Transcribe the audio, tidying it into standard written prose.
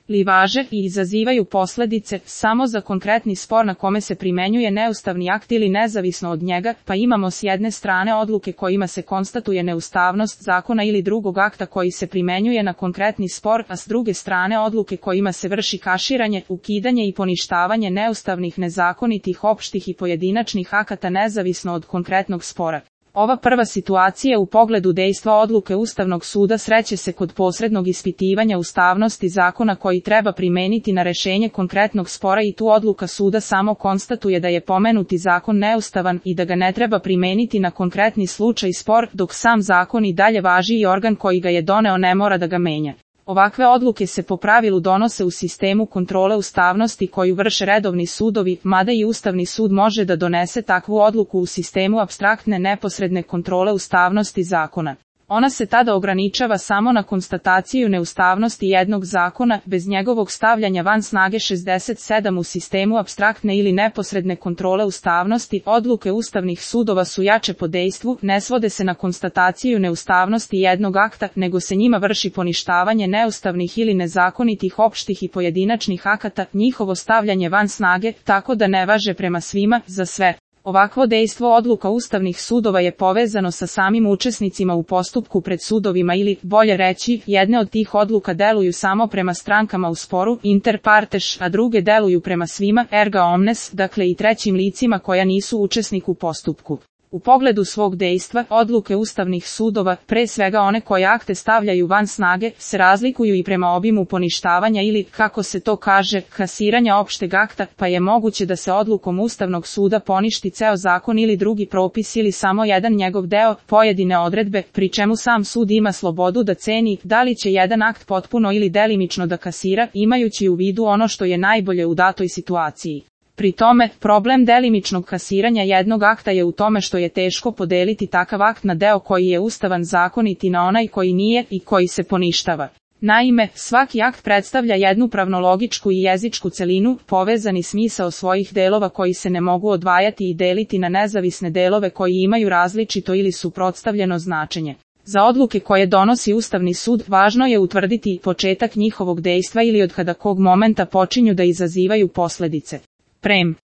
li važe i izazivaju posljedice samo za konkretni spor na kome se primenjuje neustavni akt ili nezavisno od njega, pa imamo s jedne strane odluke kojima se konstatuje neustavnost zakona ili drugog akta koji se primenjuje na konkretni spor, a s druge strane odluke kojima se vrši kaširanje, ukidanje i poništavanje neustavnih, nezakonitih, opštih i pojedinačnih akata nezavisno od konkretnog spora. Ova prva situacija u pogledu dejstva odluke Ustavnog suda sreće se kod posrednog ispitivanja ustavnosti zakona koji treba primeniti na rešenje konkretnog spora i tu odluka suda samo konstatuje da je pomenuti zakon neustavan i da ga ne treba primeniti na konkretni slučaj spor, dok sam zakon i dalje važi i organ koji ga je doneo ne mora da ga menja. Ovakve odluke se po pravilu donose u sistemu kontrole ustavnosti koju vrše redovni sudovi, mada i Ustavni sud može da donese takvu odluku u sistemu apstraktne neposredne kontrole ustavnosti zakona. Ona se tada ograničava samo na konstataciju neustavnosti jednog zakona, bez njegovog stavljanja van snage. 67 U sistemu apstraktne ili neposredne kontrole ustavnosti, odluke ustavnih sudova su jače po dejstvu, ne svode se na konstataciju neustavnosti jednog akta, nego se njima vrši poništavanje neustavnih ili nezakonitih opštih i pojedinačnih akata, njihovo stavljanje van snage, tako da ne važe prema svima, za sve. Ovakvo dejstvo odluka ustavnih sudova je povezano sa samim učesnicima u postupku pred sudovima ili, bolje reći, jedne od tih odluka deluju samo prema strankama u sporu, inter partes, a druge deluju prema svima, erga omnes, dakle i trećim licima koja nisu učesnik u postupku. U pogledu svog dejstva, odluke ustavnih sudova, pre svega one koje akte stavljaju van snage, se razlikuju i prema obimu poništavanja ili, kako se to kaže, kasiranja opšteg akta, pa je moguće da se odlukom Ustavnog suda poništi ceo zakon ili drugi propis ili samo jedan njegov deo, pojedine odredbe, pri čemu sam sud ima slobodu da ceni da li će jedan akt potpuno ili delimično da kasira, imajući u vidu ono što je najbolje u datoj situaciji. Pri tome, problem delimičnog kasiranja jednog akta je u tome što je teško podeliti takav akt na deo koji je ustavan zakonit i na onaj koji nije i koji se poništava. Naime, svaki akt predstavlja jednu pravnologičku i jezičku celinu, povezani smisao svojih delova koji se ne mogu odvajati i deliti na nezavisne delove koji imaju različito ili suprotstavljeno značenje. Za odluke koje donosi Ustavni sud, važno je utvrditi početak njihovog dejstva ili od kada kog momenta počinju da izazivaju posljedice. Prem.